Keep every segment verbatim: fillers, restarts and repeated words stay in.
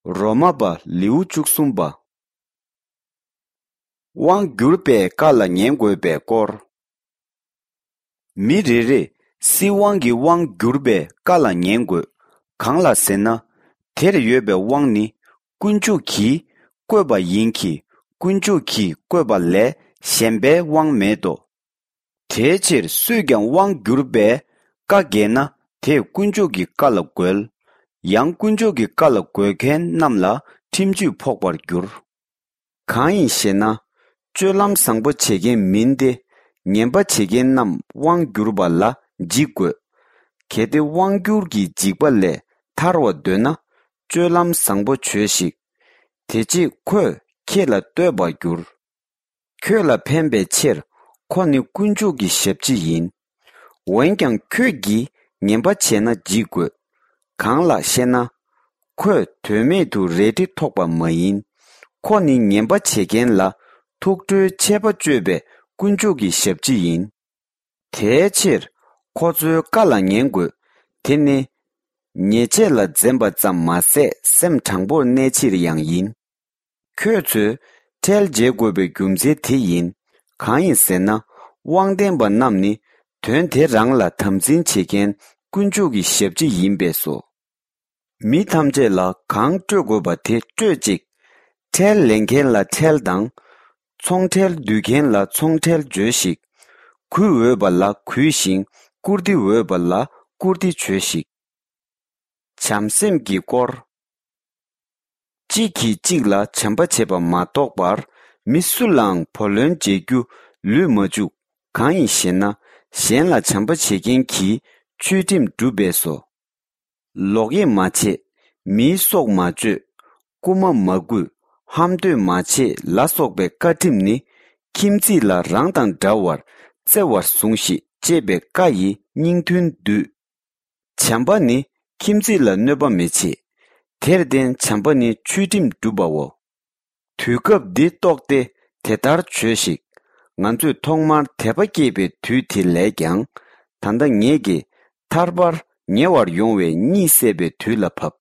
རོ་མ་པ་ལེའུ་བཅུ་གསུམ་པ། དབང་བསྒྱུར་པའི་བཀའ་ལ་ཉན་དགོས་པའི་སྐོར། མི་རེ་རེས་སྲིད་དབང་གི་དབང་བསྒྱུར་པའི་བཀའ་ལ་ཉན་དགོས། གང་ལ་ཟེར་ན། དེར་ཡོད་པའི་དབང་ནི་དཀོན་མཆོག་གིས་བཀོད་པ་ཡིན་གྱི། དཀོན་མཆོག་གིས་བཀོད་པ་ལས་གཞན་པའི་དབང་མེད་དོ། དེའི་ཕྱིར་སུས་ཀྱང་དབང་བསྒྱུར་པའི་བཀའ་འགལ་ན་དེས་དཀོན་མཆོག་གི་བཀའ་ལ་རྒོལ། ཡང་དཀོན་མཆོག་གི་བཀའ་ལ་རྒོལ་མཁན་རྣམས་ལ་ཁྲིམས་གཅོད་ཕོག་པར་འགྱུར། གང་ཡིན་ཞེ་ན། སྤྱོད་ལམ་བཟང་པོ་བྱེད་མཁན་མིན་ཏེ། ངན་པ་བྱེད་མཁན་རྣམས་དབང་བསྒྱུར་བ་ལ་འཇིགས་དགོས། གལ་ཏེ་དབང་བསྒྱུར་གྱི་འཇིགས་པ་ལས་ཐར་བར་འདོད་ན། སྤྱོད་ལམ་བཟང་པོ་བྱོས་ཤིག། དེ་རྗེས་ཁོས་ཁྱེད་ལ་བསྟོད་པར་འགྱུར། ཁྱོད་ལ་ཕན་པའི་ཕྱིར་ཁོ་ནི་དཀོན་མཆོག་གི་ཞབས་ཕྱི་ཡིན། འོན་ཀྱང་ཁྱོད་ཀྱིས་ངན་པ་བྱས་ན་འཇིགས་དགོས། གང་ལགས་ཤེ་ན། ཁོས་དོན་མེད་དུ་རལ་གྲི་ཐོགས་པ་མ་ཡིན། ཁོ་ནི་ངན་པ་བྱེད་མཁན་ལ་ཐུགས་ཁྲོའི་ཆད་པ་གཅོད་པའི་དཀོན་མཆོག་གི་ཞབས་ཕྱི་ཡིན། དེའི་ཕྱིར་ཁོ་ཚོའི་བཀའ་ལ་ཉན་དགོས། དེ་ནི་ཉེས་ཆད་ལ་འཛེམ་པ་ཙམ་མ་ཟད་སེམས་དྲང་པོར་གནས་ཕྱིར་ཡང་ཡིན། ཁྱོད་ཚོས་ཁྲལ་འཇལ་དགོས་པའི་རྒྱུ་མཚན་དེ་ཡིན། གང་ཡིན་ཟེར་ན། དབང་ལྡན་པ་རྣམས་ནི་དོན་དེ་རང་ལ་དམ་འཛིན་བྱེད་མཁན་དཀོན་མཆོག་གི་ཞབས་ཕྱི་ཡིན་པས་སོ། མི་ཐམས་ཅད་ལ་གང་སྤྲོད་དགོས་པ་དེ་སྤྲོད་ཅིག། ཁྲལ་ལེན་མཁན་ལ་ཁྲལ་དང་། ཚོང་ཁྲལ་བསྡུ་མཁན་ལ་ཚོང་ཁྲལ་འཇོལ་ཞིག། གུས་འོས་པ་ལ་གུས་ཤིང་བཀུར་སྟི་འོས་པ་ལ་བཀུར་སྟི་བྱོས་ཤིག། བྱམས་སེམས་ཀྱི་སྐོར། གཅིག་གིས་གཅིག་ལ་བྱམས་པ་བྱེད་པ་མ་གཏོགས་པར་མི་སུ་ལའང་བུ་ལོན་འཇལ་རྒྱུ་ལུས་མ་བཅུག། གང་ཡིན་ཞེ་ན། གཞན་ལ་བྱམས་པ་བྱེད་མཁན་གྱིས་ཆོས་ཁྲིམས་བསྒྲུབས་པས་སོ། ལོག་གཡེམ་མ་བྱེད། མིའི་སྲོག་མ་གཅོད། རྐུན་མ་མ་རྐུ། ཧམ་འདོད་མ་བྱེད་ལ་སོགས་པའི་བཀའ་ཁྲིམས་ནི། ཁྱིམ་མཚེས་ལ་རང་དང་འདྲ་བར་བརྩེ་བར་ཟུངས་ཤིག་ཅེས་པའི་བཀའ་ཡི་སྙིང་དོན་བསྡུས། བྱམས་པ་ནི་ཁྱིམ་མཚེས་ལ་གནོད་པ་མི་བྱེད། དེར་བརྟེན་བྱམས་པ་ནི་ཆོས་ཁྲིམས་བསྒྲུབ་པའོ། དུས་སྐབས་འདི་རྟོགས་ཏེ་དེ་ལྟར་བྱོས་ཤིག། ང་ཚོས་ཐོག་མར་དད་པ་སྐྱེས་པའི་དུས་དེ་ལས་ཀྱང་། ད་ལྟ་ངེད་ཀྱིས་ཐར་པར་ཉེ་བར་ཡོང་བའི་གཉིད་སད་པའི་དུས་ལ་བབ།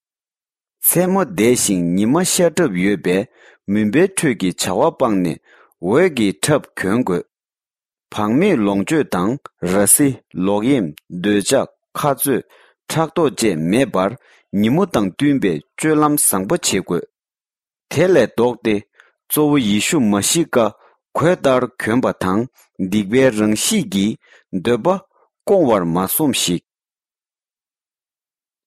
མཚན་མོ་འདས་ཤིང་ཉི་མ་ཤར་གྲབས་ཡོད་པས། མུན་པའི་ཁྲོད་ཀྱི་བྱ་བ་སྤངས་ནས་འོད་ཀྱི་ཁྲབ་གྱོན་དགོས། བག་མེད་ལོངས་སྤྱོད་དང་ར་བཟི། ལོག་གཡེམ། འདོད་ཆགས། ཁ་རྩོད། ཕྲག་དོག་བཅས་མེད་པར། ཉིན་མོ་དང་བསྟུན་པའི་སྤྱོད་ལམ་བཟང་པོ་བྱེད་དགོས། དེ་ལས་ལྡོག་སྟེ། གཙོ་བོ་ཡེ་ཤུ་མ་ཤི་ཀ་གོས་ལྟར་གྱོན་པ་དང་། སྡིག་པའི་རང་གཤིས་ཀྱི་འདོད་པ་སྐོང་བར་མ་སོམས་ཤིག།